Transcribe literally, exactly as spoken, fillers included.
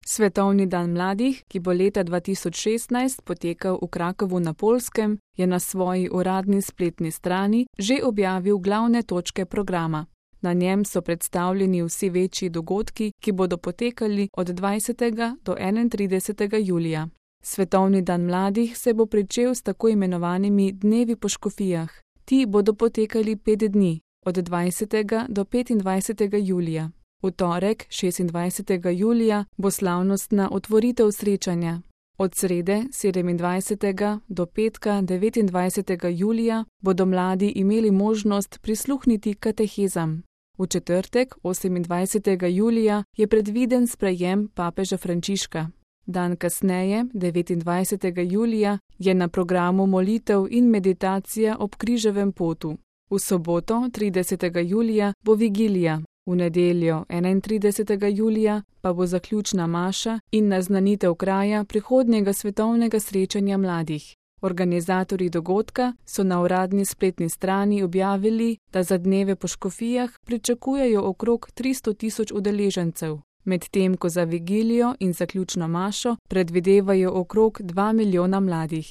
Svetovni dan mladih, ki bo leta dva tisoč šestnajst potekal v Krakowu na Poljskem, je na svoji uradni spletni strani že objavil glavne točke programa. Na njem so predstavljeni vsi večji dogodki, ki bodo potekali od dvajsetega do enaintridesetega julija. Svetovni dan mladih se bo pričel s tako imenovanimi dnevi po škofijah. Ti bodo potekali pet dni, od dvajsetega do petindvajsetega julija. V torek, šestindvajsetega julija, bo slavnostna otvoritev srečanja. Od srede, sedemindvajsetega do petka, devetindvajsetega julija, bodo mladi imeli možnost prisluhniti katehezam. V četrtek, osemindvajsetega julija, je predviden sprejem papeža Frančiška. Dan kasneje, devetindvajsetega julija, je na programu molitev in meditacija ob križevem potu. V soboto, tridesetega julija, bo vigilija. V nedeljo, enaintridesetega julija, pa bo zaključna maša in naznanitev kraja prihodnjega svetovnega srečanja mladih. Organizatorji dogodka so na uradni spletni strani objavili, da za dneve po škofijah pričakujejo okrog tristo tisoč udeležencev, medtem ko za vigilijo in zaključno mašo predvidevajo okrog dva milijona mladih.